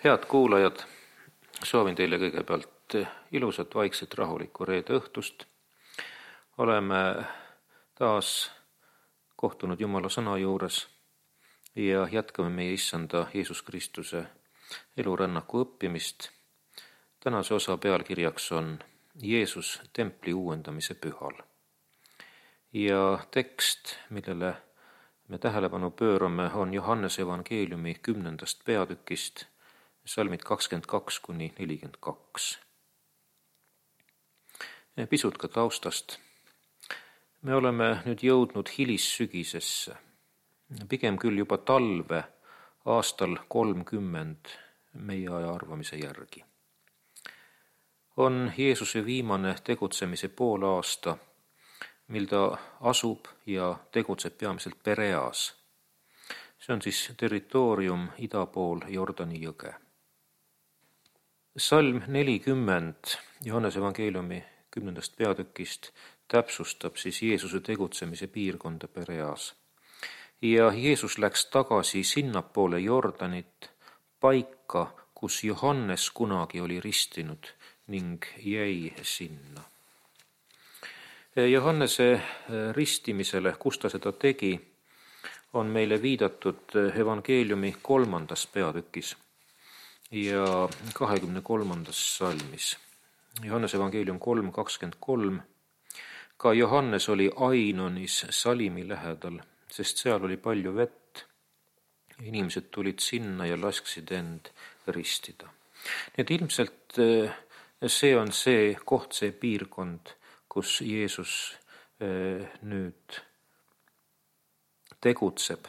Head kuulajad, soovin teile kõigepealt ilusat, vaikset, rahulikku reede õhtust. Oleme taas kohtunud Jumala sõna juures ja jätkame meie issanda Jeesus Kristuse elurännaku õppimist. Tänase osa pealkirjaks on Jeesus templi uuendamise pühal. Ja tekst, millele me tähelepanu pöörame, on Johannese evangeeliumi 10. peatükist, salmid 22-42. Pisut ka taustast. Me oleme nüüd jõudnud hilissügisesse, pigem küll juba talve aastal 30 meie aja arvamise järgi. On Jeesuse viimane tegutsemise poolaasta, mil ta asub ja tegutseb peamiselt Pereas. See on siis territoorium ida pool Jordani jõge. Salm 40 Johannese evangeeliumi 10. peatükist täpsustab siis Jeesuse tegutsemise piirkonda Pereas. Ja Jeesus läks tagasi sinnapoole Jordanit, paika, kus Johannes kunagi oli ristinud ning jäi sinna. Johannese ristimisele, kus ta seda tegi, on meile viidatud evangeeliumi 3. peatükis ja 23. salmis. Johannese evangeelium 3:23. Ka Johannes oli Ainonis Salimi lähedal, sest seal oli palju vett. Inimesed tulid sinna ja lasksid end ristida. Nii et ilmselt see on see koht, see piirkond, kus Jeesus nüüd tegutseb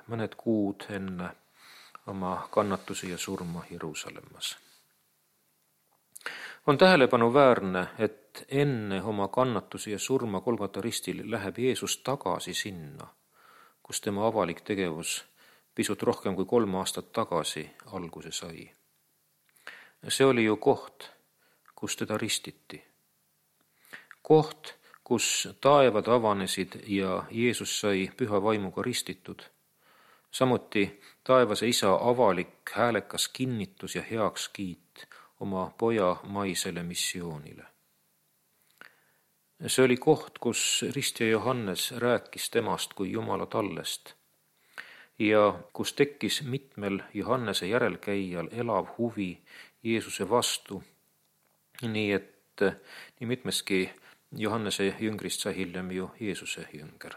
mõned kuud enne oma kannatusi ja surma Jeruusalemmas. On tähelepanuväärne, et enne oma kannatusi ja surma Golgata ristil läheb Jeesus tagasi sinna, kus tema avalik tegevus pisut rohkem kui 3 aastat tagasi alguse sai. See oli ju koht, kus teda ristiti. Koht, kus taevad avanesid ja Jeesus sai püha vaimuga ristitud. Samuti taevase isa avalik häälekas kinnitus ja heakskiit oma poja maisele missioonile. See oli koht, kus ristja Johannes rääkis temast kui Jumala tallest ja kus tekkis mitmel Johannese järelkäijal elav huvi Jeesuse vastu, nii et nii mitmeski Johannese jüngrist sai hiljem ju Jeesuse jünger.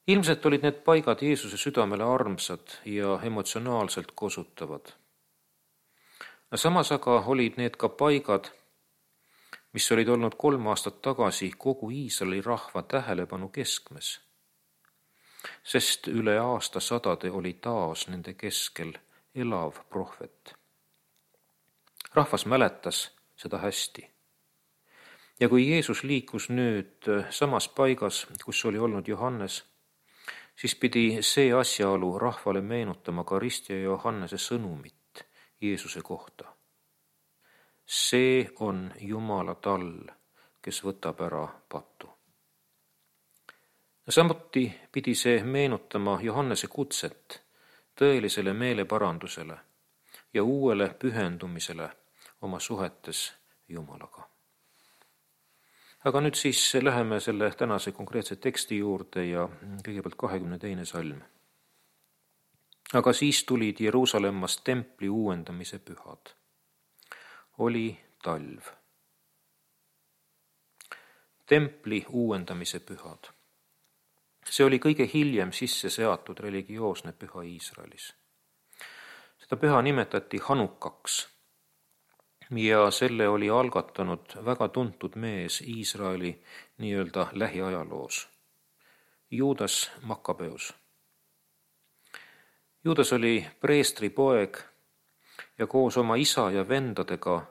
Ilmselt olid need paigad Jeesuse südamele armsad ja emotsionaalselt kosutavad. Samas aga olid need ka paigad, mis olid olnud 3 aastat tagasi kogu Iisraeli rahva tähelepanu keskmes, sest üle aastasadade oli taas nende keskel elav prohvet. Rahvas mäletas seda hästi. Ja kui Jeesus liikus nüüd samas paigas, kus oli olnud Johannes, siis pidi see asjaolu rahvale meenutama ka ristja Johannese sõnumit Jeesuse kohta. See on Jumala tall, kes võtab ära patu. Samuti pidi see meenutama Johannese kutset tõelisele meeleparandusele ja uuele pühendumisele oma suhetes Jumalaga. Aga nüüd siis läheme selle tänase konkreetse teksti juurde ja kõigepealt 22. salm. Aga siis tulid Jeruusalemmast templi uuendamise pühad. Oli talv. Templi uuendamise pühad. See oli kõige hiljem sisse seatud religioosne püha Iisraelis. Seda püha nimetati Hanukaks ja selle oli algatanud väga tuntud mees Iisraeli nii-öelda lähiajaloos, Juudas Makkabeus. Juudas oli preestri poeg ja koos oma isa ja vendadega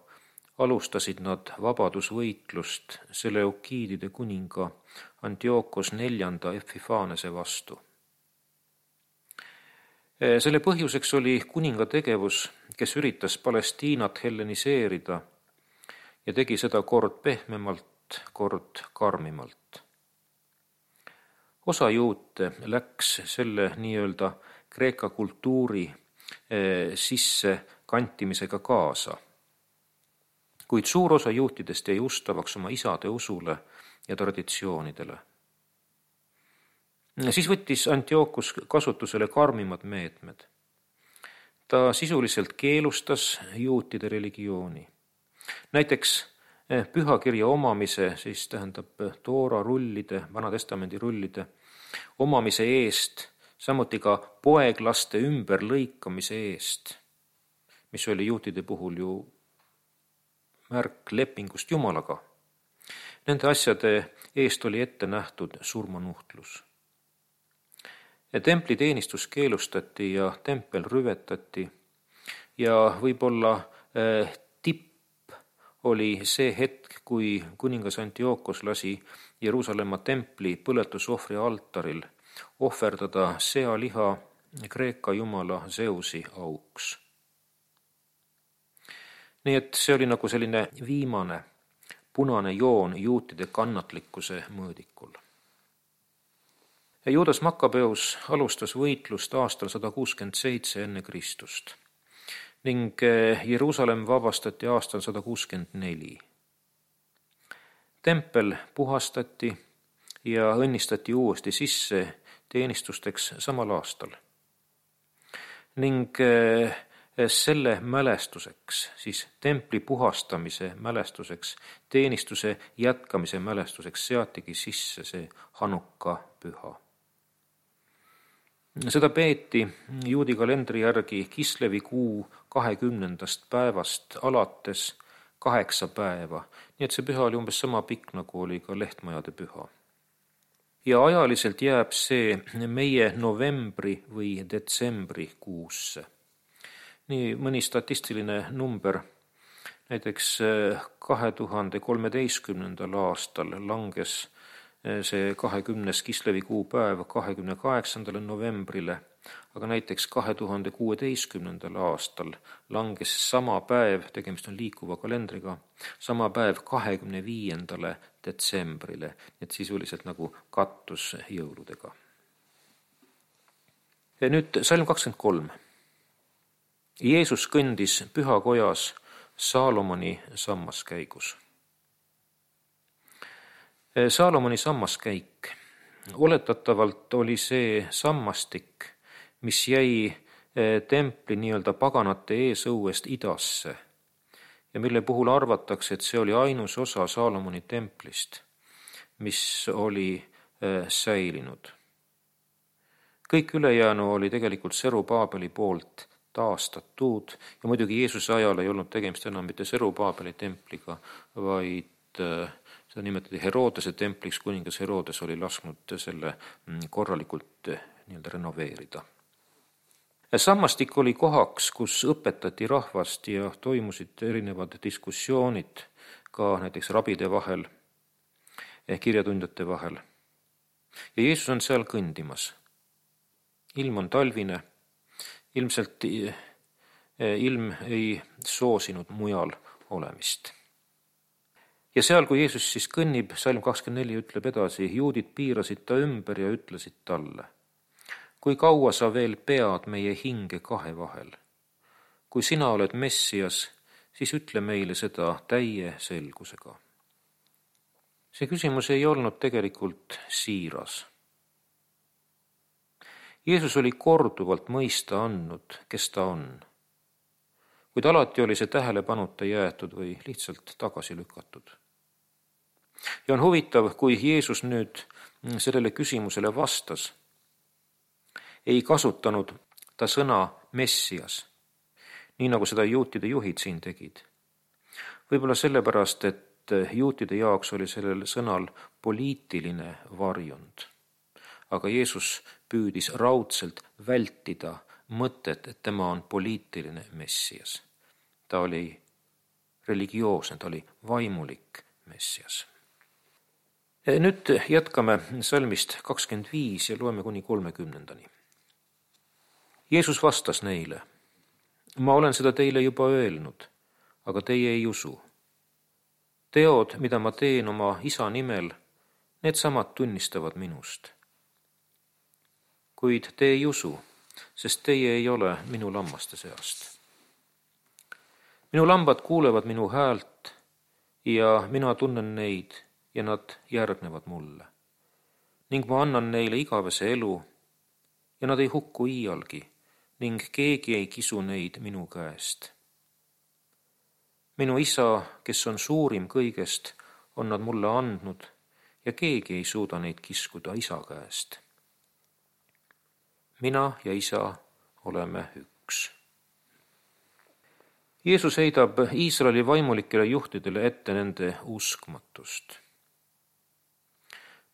alustasid nad vabadusvõitlust Seleukiidide kuninga Antiochos 4. Epifanese vastu. Selle põhjuseks oli kuninga tegevus, kes üritas Palestiinat helleniseerida ja tegi seda kord pehmemalt, kord karmimalt. Osa juute läks selle nii-öelda Kreeka kultuuri sisse kantimisega kaasa, kuid suur osa juutidest jäi ustavaks oma isade usule ja traditsioonidele. Siis võttis Antiochus kasutusele karmimad meetmed. Ta sisuliselt keelustas juutide religiooni. Näiteks pühakirja omamise, siis tähendab Toora rullide, Vana-testamendi rullide omamise eest, samuti ka poeglaste ümberlõikamise eest, mis oli juutide puhul ju märk lepingust Jumalaga. Nende asjade eest oli ette nähtud surmanuhtlus. Templiteenistus keelustati ja tempel rüvetati ja võib-olla tipp oli see hetk, kui kuningas Antiochos lasi Jeruusalemma templi põletusohvri altaril ohverdada sealiha Kreeka jumala Zeusi auks. Nii et see oli nagu selline viimane punane joon juutide kannatlikkuse mõõdikul. Juudas Makkabeus alustas võitlust aastal 167 enne Kristust ning Jeruusalemm vabastati aastal 164. Tempel puhastati ja õnnistati uuesti sisse teenistusteks samal aastal. Ning selle mälestuseks, siis templi puhastamise mälestuseks, teenistuse jätkamise mälestuseks seatigi sisse see Hanukka püha. Seda peeti juudi kalendri järgi Kislevi kuu 20. päevast alates 8 päeva, nii et see püha oli umbes sama pikk, nagu oli ka lehtmajade püha. Ja ajaliselt jääb see meie novembri või detsembri kuusse. Nii mõni statistiline number, näiteks 2013. aastal langes see 20. Kislevi kuupäev 28. novembrile, aga näiteks 2016. aastal langes sama päev, tegemist on liikuva kalendriga, sama päev 25. detsembrile, et sisuliselt nagu kattus jõuludega. Ja nüüd salm 23. Jeesus kõndis pühakojas Saalomoni sammaskäigus. Saalomoni sammaskäik. Oletatavalt oli see sammastik, mis jäi templi nii-öelda paganate eesõuest idasse ja mille puhul arvatakse, et see oli ainus osa Saalomoni templist, mis oli säilinud. Kõik ülejäänu oli tegelikult Serubaabeli poolt taastatud ja muidugi Jeesuse ajal ei olnud tegemist enam mitte Serubaabeli templiga, vaid seda nimetati Herodese templiks, kuningas Herodes oli lasknud selle korralikult nii-öelda renoveerida. Sammastik oli kohaks, kus õpetati rahvast ja toimusid erinevad diskussioonid ka näiteks rabide vahel, kirjatundjate vahel. Ja Jeesus on seal kõndimas. Ilm on talvine, ilmselt ilm ei soosinud mujal olemist. Ja seal, kui Jeesus siis kõnnib, salm 24 ütleb edasi, juudid piirasid ta ümber ja ütlesid talle, kui kaua sa veel pead meie hinge kahe vahel? Kui sina oled Messias, siis ütle meile seda täie selgusega. See küsimus ei olnud tegelikult siiras. Jeesus oli korduvalt mõista andnud, kes ta on, kuid alati oli see tähelepanuta jäetud või lihtsalt tagasi lükatud. Ja on huvitav, kui Jeesus nüüd sellele küsimusele vastas, ei kasutanud ta sõna Messias, nii nagu seda juutide juhid siin tegid. Võib-olla sellepärast, et juutide jaoks oli sellel sõnal poliitiline varjund. Aga Jeesus püüdis raudselt vältida mõtet, et tema on poliitiline Messias. Ta oli religioosne, ta oli vaimulik Messias. Nüüd jätkame salmist 25 ja loeme kuni 30. Jeesus vastas neile, ma olen seda teile juba öelnud, aga teie ei usu. Teod, mida ma teen oma isa nimel, need samad tunnistavad minust. kuid te ei usu, sest teie ei ole minu lammaste seast. Minu lambad kuulevad minu häält ja mina tunnen neid ja nad järgnevad mulle. Ning ma annan neile igavese elu ja nad ei hukku iialgi ning keegi ei kisu neid minu käest. Minu isa, kes on suurim kõigest, on nad mulle andnud ja keegi ei suuda neid kiskuda isa käest. Mina ja isa oleme üks. Jeesus heidab Iisraeli vaimulikele juhtidele ette nende uskmatust.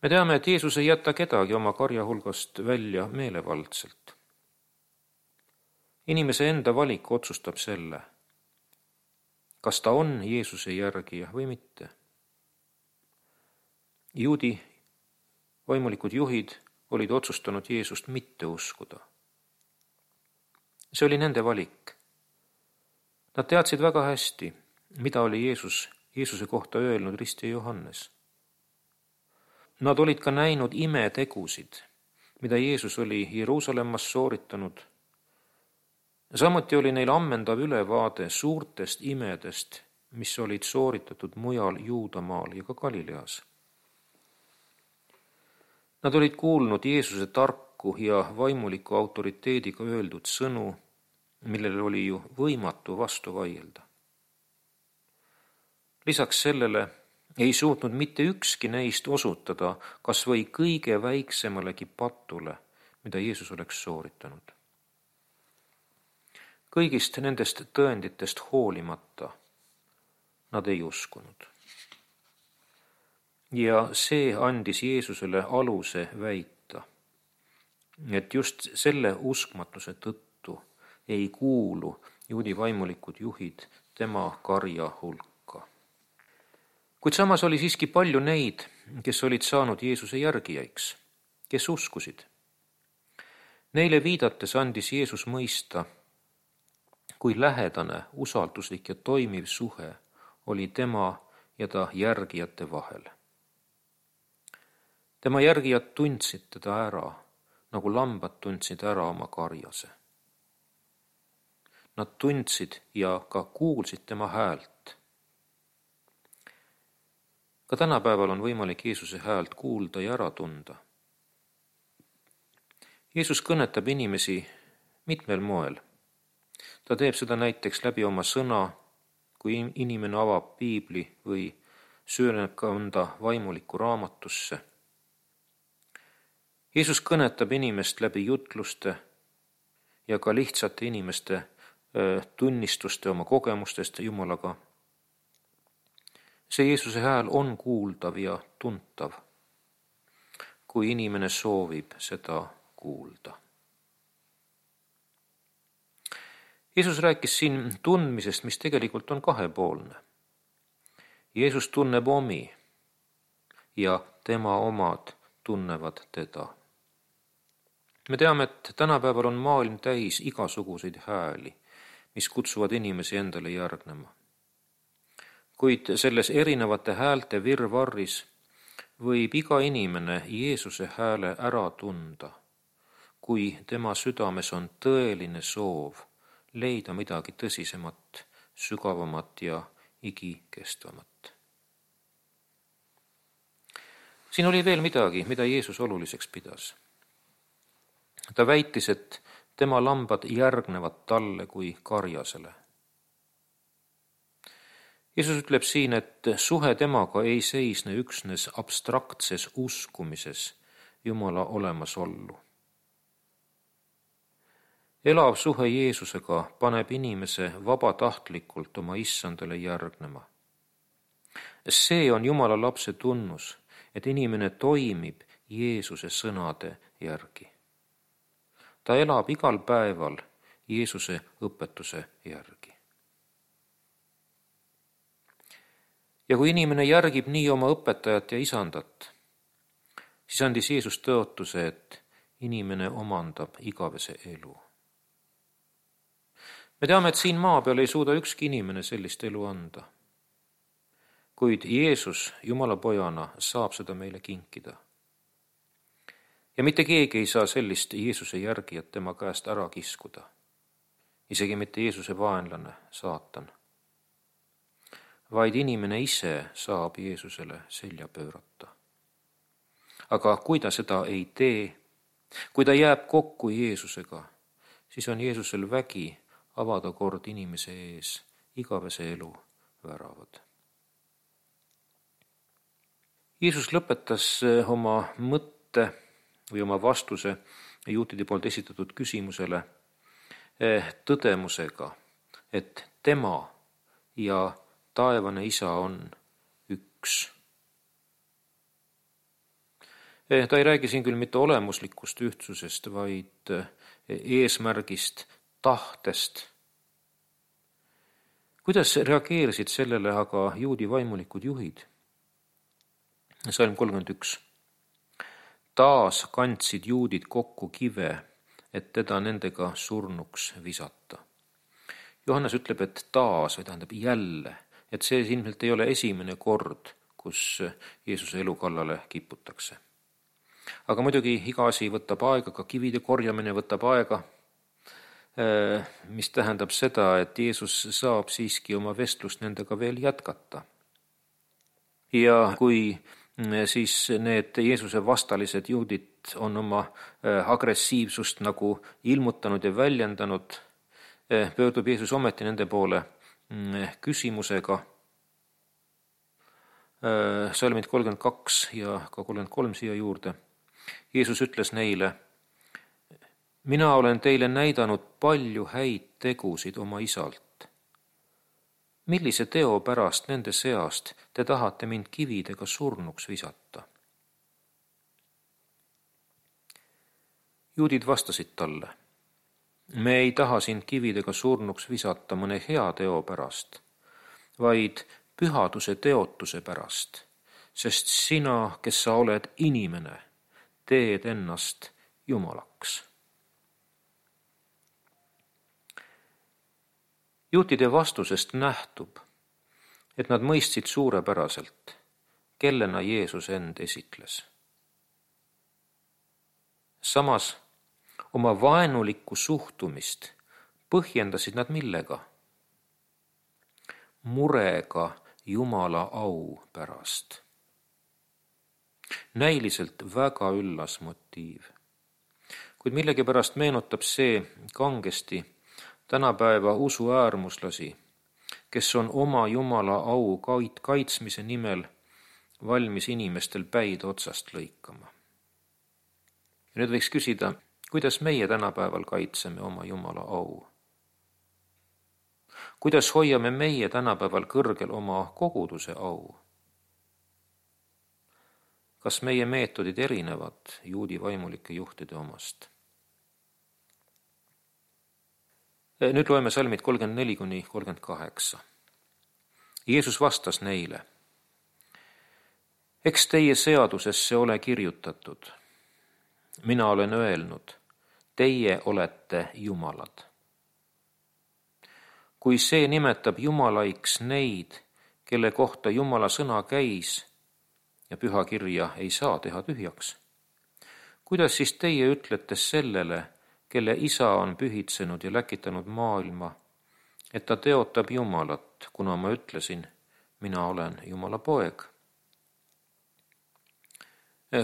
Me teame, et Jeesus ei jäta kedagi oma karja hulgast välja meelevaldselt. Inimese enda valik otsustab selle, kas ta on Jeesuse järgija või mitte. Juudi vaimulikud juhid olid otsustanud Jeesust mitte uskuda. See oli nende valik. Nad teadsid väga hästi, mida oli Jeesuse kohta öelnud ristja Johannes. Nad olid ka näinud imetegusid, mida Jeesus oli Jeruusalemmas sooritanud. Samuti oli neil ammendav ülevaade suurtest imedest, mis olid sooritatud mujal Juudamaal ja ka Galileas. Nad olid kuulnud Jeesuse tarku ja vaimuliku autoriteediga öeldud sõnu, millele oli ju võimatu vastu vaielda. Lisaks sellele ei suutnud mitte ükski neist osutada kas või kõige väiksemalegi patule, mida Jeesus oleks sooritanud. Kõigist nendest tõenditest hoolimata nad ei uskunud. Ja see andis Jeesusele aluse väita, et just selle uskmatuse tõttu ei kuulu juudi vaimulikud juhid tema karja hulka. Kuid samas oli siiski palju neid, kes olid saanud Jeesuse järgijaiks, kes uskusid. Neile viidates andis Jeesus mõista, kui lähedane, usalduslik ja toimiv suhe oli tema ja ta järgijate vahel. Tema järgijad tundsid teda ära, nagu lambad tundsid ära oma karjase. Nad tundsid ja ka kuulsid tema häält. Ka tänapäeval on võimalik Jeesuse häält kuulda ja ära tunda. Jeesus kõnetab inimesi mitmel moel. Ta teeb seda näiteks läbi oma sõna, kui inimene avab piibli või süveneb mõnda vaimulikku raamatusse. Jeesus kõnetab inimest läbi jutluste ja ka lihtsate inimeste tunnistuste oma kogemustest Jumalaga. See Jeesuse hääl on kuuldav ja tuntav, kui inimene soovib seda kuulda. Jeesus rääkis siin tundmisest, mis tegelikult on kahepoolne. Jeesus tunneb omi ja tema omad tunnevad teda. Me teame, et tänapäeval on maailm täis igasuguseid hääli, mis kutsuvad inimesi endale järgnema. Kuid selles erinevate häälte virvarris võib iga inimene Jeesuse hääle ära tunda, kui tema südames on tõeline soov leida midagi tõsisemat, sügavamat ja igikestvamat. Siin oli veel midagi, mida Jeesus oluliseks pidas. Ta väitis, et tema lambad järgnevad talle kui karjasele. Jeesus ütleb siin, et suhe temaga ei seisne üksnes abstraktses uskumises Jumala olemasollu. Elav suhe Jeesusega paneb inimese vabatahtlikult oma issandale järgnema. See on Jumala lapse tunnus, et inimene toimib Jeesuse sõnade järgi. Ta elab igal päeval Jeesuse õpetuse järgi. Ja kui inimene järgib nii oma õpetajat ja isandat, siis andis Jeesus tõotuse, et inimene omandab igavese elu. Me teame, et siin maa peal ei suuda ükski inimene sellist elu anda. Kuid Jeesus Jumala pojana saab seda meile kinkida. Ja mitte keegi ei saa sellist Jeesuse järgijat tema käest ära kiskuda. Isegi mitte Jeesuse vaenlane, saatan. Vaid inimene ise saab Jeesusele selja pöörata. Aga kui ta seda ei tee, kui ta jääb kokku Jeesusega, siis on Jeesusel vägi avada kord inimese ees igavese elu väravad. Jeesus lõpetas oma mõtte või oma vastuse juutide poolt esitatud küsimusele tõdemusega, et tema ja taevane Isa on üks. Ta ei räägi siin küll mitte olemuslikust ühtsusest, vaid eesmärgist, tahtest. Kuidas reageerisid sellele aga juudi vaimulikud juhid? Salm 31. Taas kandsid juudid kokku kive, et teda nendega surnuks visata. Johannes ütleb, et taas, või tähendab jälle, et see ilmselt ei ole esimene kord, kus Jeesuse elu kallale kiputakse. Aga muidugi iga asi võtab aega, ka kivide korjamine võtab aega, mis tähendab seda, et Jeesus saab siiski oma vestlust nendega veel jätkata. Ja kui siis need Jeesuse vastalised juudid on oma agressiivsust nagu ilmutanud ja väljendanud, pöördub Jeesus ometi nende poole küsimusega. Salmid 32 ja ka 33 siia juurde. Jeesus ütles neile, mina olen teile näidanud palju häid tegusid oma Isalt. Millise teo pärast nende seast te tahate mind kividega surnuks visata? Juudid vastasid talle, me ei taha sind kividega surnuks visata mõne hea teo pärast, vaid pühaduse teotuse pärast, sest sina, kes sa oled inimene, teed ennast Jumalaks. Juutide vastusest nähtub, et nad mõistsid suurepäraselt, kellena Jeesus end esitles. Samas oma vaenulikku suhtumist põhjendasid nad millega? Murega Jumala au pärast. Näiliselt väga üllas motiiv. Kuid millegipärast meenutab see kangesti tänapäeva usuäärmuslasi, kes on oma Jumala au kaitsmise nimel valmis inimestel päid otsast lõikama. Ja nüüd võiks küsida, kuidas meie tänapäeval kaitseme oma Jumala au? Kuidas hoiame meie tänapäeval kõrgel oma koguduse au? Kas meie meetodid erinevad juudi vaimulike juhtide omast? Nüüd loeme salmid 34-38. Jeesus vastas neile, eks teie seadusesse ole kirjutatud. Mina olen öelnud, teie olete jumalad. Kui see nimetab jumalaiks neid, kelle kohta Jumala sõna käis ja pühakirja ei saa teha tühjaks, kuidas siis teie ütlete sellele, kelle Isa on pühitsenud ja läkitanud maailma, et ta teotab Jumalat, kuna ma ütlesin, mina olen Jumala poeg.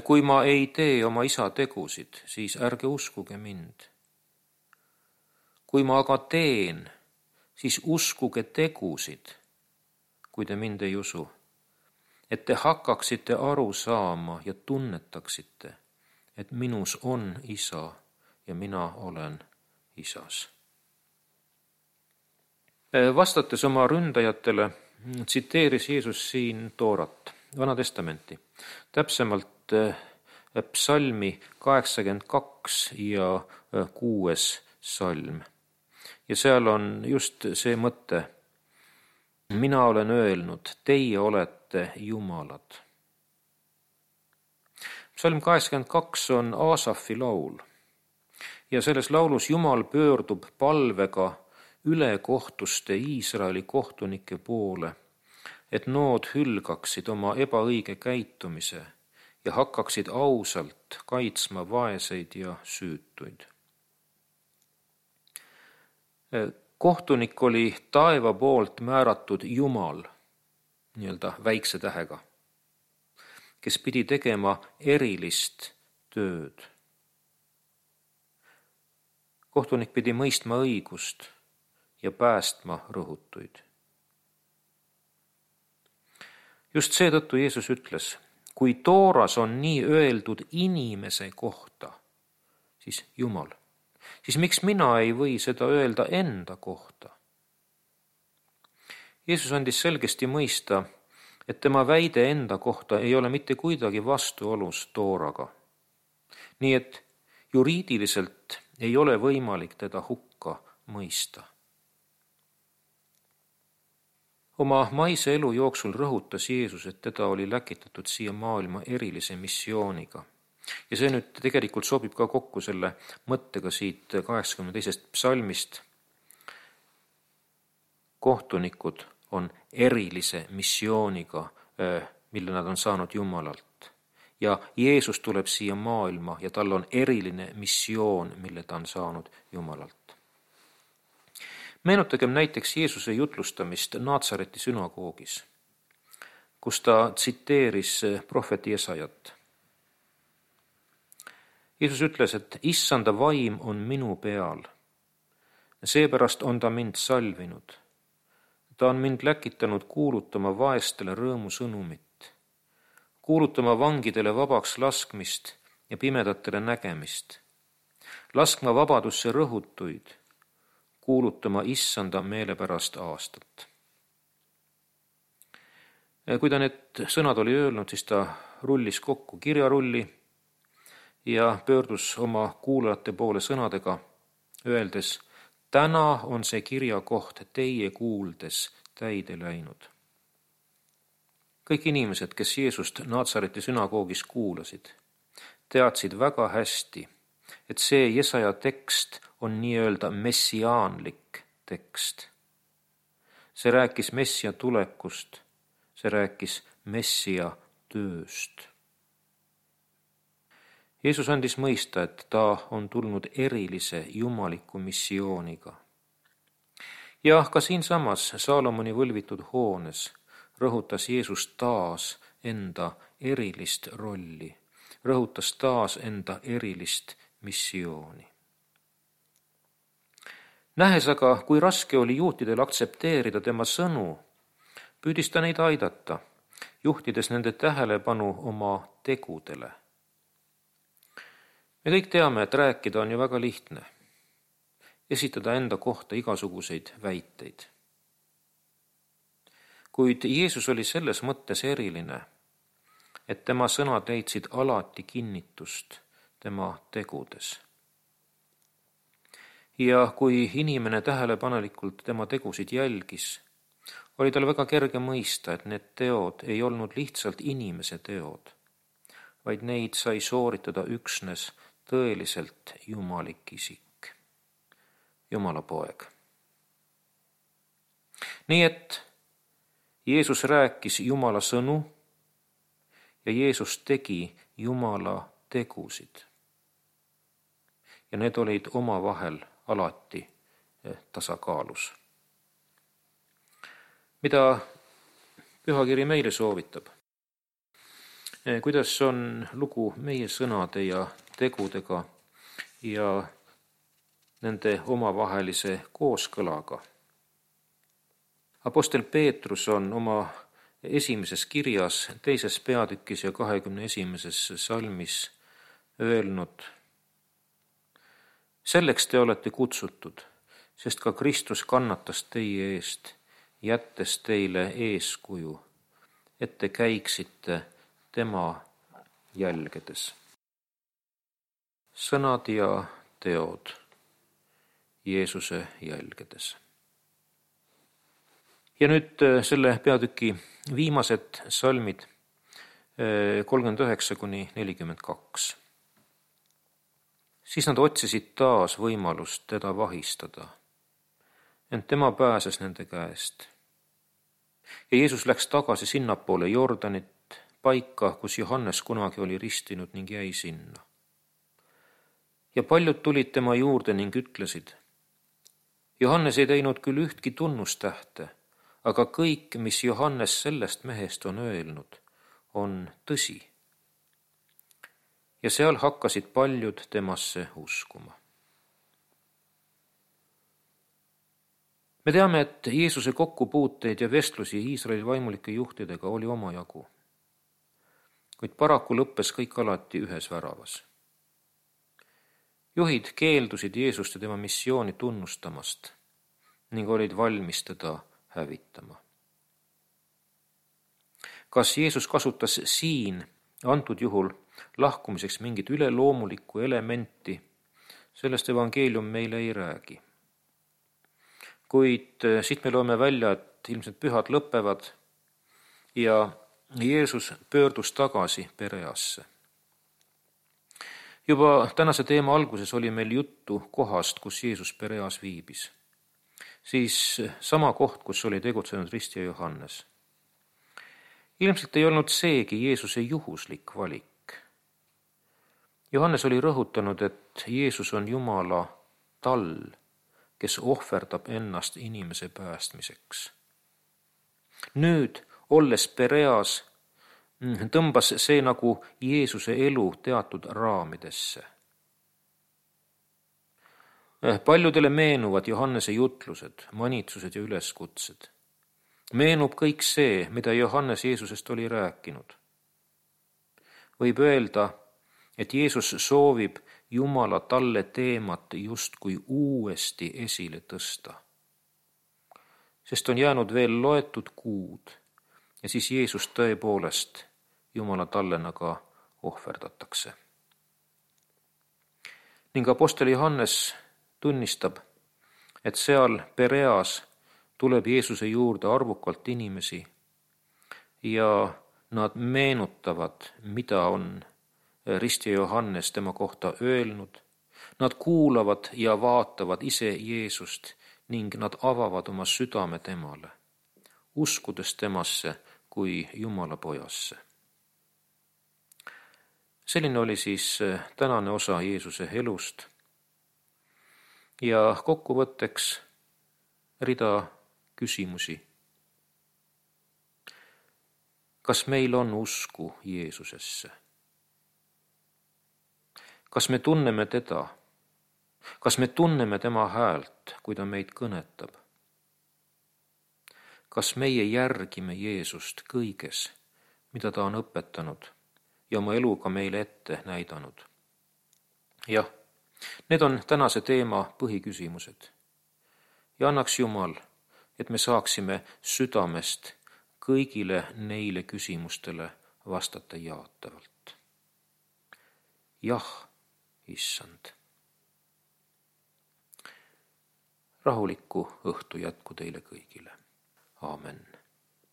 Kui ma ei tee oma Isa tegusid, siis ärge uskuge mind. Kui ma aga teen, siis uskuge tegusid, kui te mind ei usu, et te hakkaksite aru saama ja tunnetaksite, et minus on Isa ja mina olen Isas. Vastates oma ründajatele tsiteeris Jeesus siin Toorat, Vana Testamenti, täpsemalt psalmi 82 ja 6 salm. Ja seal on just see mõte, mina olen öelnud, teie olete jumalad. Psalm 82 on Aasafi laul. Ja selles laulus Jumal pöördub palvega ülekohtuste Iisraeli kohtunike poole, et nood hülgaksid oma ebaõige käitumise ja hakkaksid ausalt kaitsma vaeseid ja süütuid. Kohtunik oli taeva poolt määratud Jumal, nii-öelda väikse tähega, kes pidi tegema erilist tööd. Kohtunik pidi mõistma õigust ja päästma rõhutuid. Just seetõttu Jeesus ütles, kui Tooras on nii öeldud inimese kohta, siis Jumal, siis miks mina ei või seda öelda enda kohta? Jeesus andis selgesti mõista, et tema väide enda kohta ei ole mitte kuidagi vastuolus Tooraga. Nii et juriidiliselt ei ole võimalik teda hukka mõista. Oma maise elu jooksul rõhutas Jeesus, et teda oli läkitatud siia maailma erilise missiooniga. Ja see nüüd tegelikult sobib ka kokku selle mõttega siit 82. psalmist. Kohtunikud on erilise missiooniga, mille nad on saanud Jumalalt. Ja Jeesus tuleb siia maailma ja tal on eriline missioon, mille ta on saanud Jumalalt. Meenutagem näiteks Jeesuse jutlustamist Naatsareti sünagoogis, kus ta tsiteeris prohveti Jesajat. Jeesus ütles, et issanda vaim on minu peal. Seepärast on ta mind salvinud. Ta on mind läkitanud kuulutama vaestele rõõmusõnumit, kuulutama vangidele vabaks laskmist ja pimedatele nägemist, laskma vabadusse rõhutuid, kuulutama issanda meelepärast aastat. Kui ta need sõnad oli öelnud, siis ta rullis kokku kirjarulli ja pöördus oma kuulajate poole sõnadega, öeldes, täna on see kirjakoht teie kuuldes täide läinud. Kõik inimesed, kes Jeesust Naatsareti sünagoogis kuulasid, teadsid väga hästi, et see Jesaja tekst on nii-öelda messiaanlik tekst. See rääkis messia tulekust, see rääkis messia tööst. Jeesus andis mõista, et ta on tulnud erilise jumaliku missiooniga. Ja ka siinsamas Saalomoni võlvitud hoones rõhutas Jeesus taas enda erilist rolli, rõhutas taas enda erilist missiooni. Nähes aga, kui raske oli juutidel aktsepteerida tema sõnu, püüdis ta neid aidata, juhtides nende tähelepanu oma tegudele. Me kõik teame, et rääkida on ju väga lihtne, esitada enda kohta igasuguseid väiteid. Kuid Jeesus oli selles mõttes eriline, et tema sõnad leidsid alati kinnitust tema tegudes. Ja kui inimene tähelepanelikult tema tegusid jälgis, oli tal väga kerge mõista, et need teod ei olnud lihtsalt inimese teod, vaid neid sai sooritada üksnes tõeliselt jumalik isik, Jumala poeg. Nii et Jeesus rääkis Jumala sõnu ja Jeesus tegi Jumala tegusid. Ja need olid omavahel alati tasakaalus. Mida Pühakiri meile soovitab? Kuidas on lugu meie sõnade ja tegudega ja nende omavahelise kooskõlaga? Apostel Peetrus on oma esimeses kirjas, 2. peatükis ja 21. salmis öelnud, selleks te olete kutsutud, sest ka Kristus kannatas teie eest, jättes teile eeskuju, et te käiksite tema jälgedes. Sõnad ja teod Jeesuse jälgedes. Ja nüüd selle peatüki viimased salmid 39–42. Siis nad otsisid taas võimalust teda vahistada, ent tema pääses nende käest. Ja Jeesus läks tagasi sinnapoole Jordanit, paika, kus Johannes kunagi oli ristinud ning jäi sinna. Ja paljud tulid tema juurde ning ütlesid: Johannes ei teinud küll ühtki tunnustähte, aga kõik, mis Johannes sellest mehest on öelnud, on tõsi. Ja seal hakkasid paljud temasse uskuma. Me teame, et Jeesuse kokkupuuteid ja vestlusi Iisraeli vaimulike juhtidega oli omajagu. Kuid paraku lõppes kõik alati ühes väravas. Juhid keeldusid Jeesust ja tema missiooni tunnustamast ning olid valmis teda hävitama. Kas Jeesus kasutas siin antud juhul lahkumiseks mingit üleloomulikku elementi, sellest evangeelium meile ei räägi. Kuid siit me loeme välja, et ilmselt pühad lõpevad ja Jeesus pöördus tagasi Pereasse. Juba tänase teema alguses oli meil juttu kohast, kus Jeesus Pereas viibis. Siis sama koht, kus oli tegutsenud ristija Johannes. Ilmselt ei olnud seegi Jeesuse juhuslik valik. Johannes oli rõhutanud, et Jeesus on Jumala tall, kes ohverdab ennast inimese päästmiseks. Nüüd, olles Pereas, tõmbas see nagu Jeesuse elu teatud raamidesse. Paljudele meenuvad Johannese jutlused, manitsused ja üleskutsed. Meenub kõik see, mida Johannes Jeesusest oli rääkinud. Võib öelda, et Jeesus soovib Jumala talle teemat justkui uuesti esile tõsta. Sest on jäänud veel loetud kuud ja siis Jeesus tõepoolest Jumala tallenaga ohverdatakse. Ning apostel Johannes tunnistab, et seal Pereas tuleb Jeesuse juurde arvukalt inimesi ja nad meenutavad, mida on ristija Johannes tema kohta öelnud. Nad kuulavad ja vaatavad ise Jeesust ning nad avavad oma südame temale, uskudes temasse kui Jumala pojasse. Selline oli siis tänane osa Jeesuse elust. Ja kokkuvõtteks rida küsimusi. Kas meil on usku Jeesusesse? Kas me tunneme teda? Kas me tunneme tema häält, kui ta meid kõnetab? Kas meie järgime Jeesust kõiges, mida ta on õpetanud ja oma eluga meile ette näidanud? Jah, need on tänase teema põhiküsimused. Ja annaks Jumal, et me saaksime südamest kõigile neile küsimustele vastata jaatavalt. Jah, Issand. Rahulikku õhtu jätku teile kõigile. Aamen.